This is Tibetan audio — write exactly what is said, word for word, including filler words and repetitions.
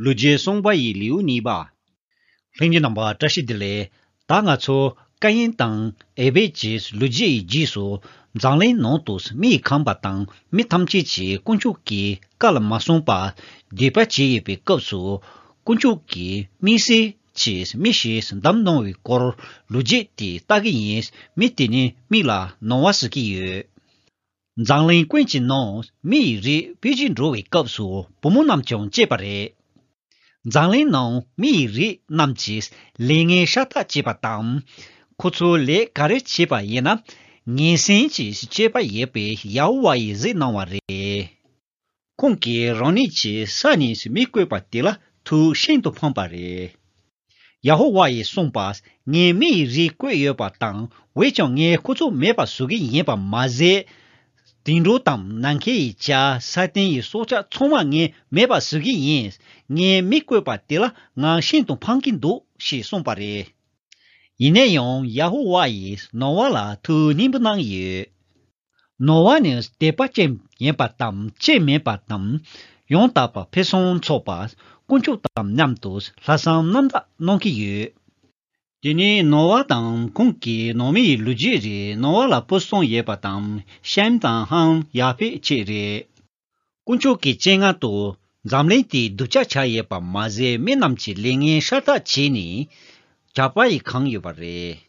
ལོ་རྒྱུས་གསུངས་པ་ཡི་ལེའུ་གཉིས་པ། ལྷན་རྒྱས་རྣམ་པ་བཀྲ་ཤིས་བདེ་ལེགས། ད་ང་ཚོ་ཀ་ཡིན་དང་ཨེ་བེད་ཀྱི་ལོ་རྒྱུས་ཡི་རྗེས་སུ་འཛམ་གླིང་ནང་དུ་མི་ཡི་ཁམས་པ་དང་མི་ཐམས་ཅད་ཀྱིས་དཀོན་མཆོག་གི་བཀའ་ལ་མ་སྲུང་པར་སྡིག་པ་བྱས་ཡོད་པའི་སྐབས་སུ། དཀོན་མཆོག་གིས་དམིགས་བསལ་གྱིས་མི་ཞིག་བདམས་གནང་བའི་སྐོར་ལོ་རྒྱུས་དེ་ལྟ་གི་ཡིན། མི་དེ་ནི་མིང་ལ་ནོ་ཝཱ་ཟེར་གྱི་ཡོད། འཛམ་གླིང་ཀུན་གྱི་ནང་མི་ཡི་རིགས་འཕེལ་རྒྱས་འགྲོ་བའི་སྐབས་སུ་བུ་མོ་རྣམས་ཀྱང་སྐྱེས་པ་རེད། འཛམ་གླིང་ནང་མི་ཡི་རིགས་རྣམས་ཀྱིས་ལས་ངན་ཤ་སྟག་བྱས་པ་དང་། ཁོ་ཚོས་ལས་ག་རེ་བྱས་པ་ཡིན་ན། ངན་སེམས་ཀྱི་སྤྱོད་པ་ཡོད་པའི་ཡ་ཧོ་ཝཱ་ཡིས་གཟིགས་གནང་བ་རེད། ཁོང་གིས་རང་ཉིད་ཀྱི་ས་ནས་མི་བཀོད་པ་དེ་ལ་ཐུགས་ཤིན་ཏུ་ཕངས་པ་རེད། ཡ་ཧོ་ཝཱ་ཡིས་གསུངས་པ། ངས་མི་ཡི་རིགས་བཀོད་ཡོད་པ་དང་། འོན་ཀྱང་ངས་ཁོ་ཚོ་མེད་པ་བཟོ་གི་ཡིན་པ་མ་ཟད། དུད་འགྲོ་དང་ནམ་མཁའི་བྱ། ས་སྟེང་གི་སྲོག་ཆགས་ཚང་མ་ངས་མེད་པ་བཟོ་གི་ཡིན། ངས་མི་བཀོད་པ་དེ་ལ་ང་ཤིན་ཏུ་ཕངས་ཀྱི་འདུག་ཞེས་གསུངས་པ་རེད། ཡིན་ན་ཡང་ཡ་ཧོ་ཝཱ་ཡིས་ནོ་ཝཱ་ལ་ཐུགས་སྙིང་པོ་གནང་ཡོད། ནོ་ཝཱ་ནི་དད་པ་ཅན་ཡིན་པ་དང་སྐྱོན་མེད་པ་དང་། ཡང་དག་པ་ཕུན་སུམ་ཚོགས་པ། དཀོན་མཆོག་དང་མཉམ་དུ་ལྷག་བསམ་རྣམ་དག་གནང་གི་ཡོད། དེ་ནས་ནོ་ཝཱ་དང་ཁོང་གི་ནང་མི་ཡི་ལོ་རྒྱུས་རེད། ནོ་ཝཱ་ལ་བུ་གསུམ་ཡོད་པ་དང་ཤེམ་དང་ཧམ་ཡ་ཕེད་བཅས་རེད། དཀོན་མཆོག་གི་སྤྱན་སྔར་དུ་འཛམ་གླིང་དེ་སྡུག་ཅག་ཆགས་ཡོད་པ་མ་ཟད་མི་རྣམས་ཀྱིས་ལས་ངན་ཤ་སྟག་བྱས་ནས་ཇག་པ་ཡིས་གང་ཡོད་པ་རེད།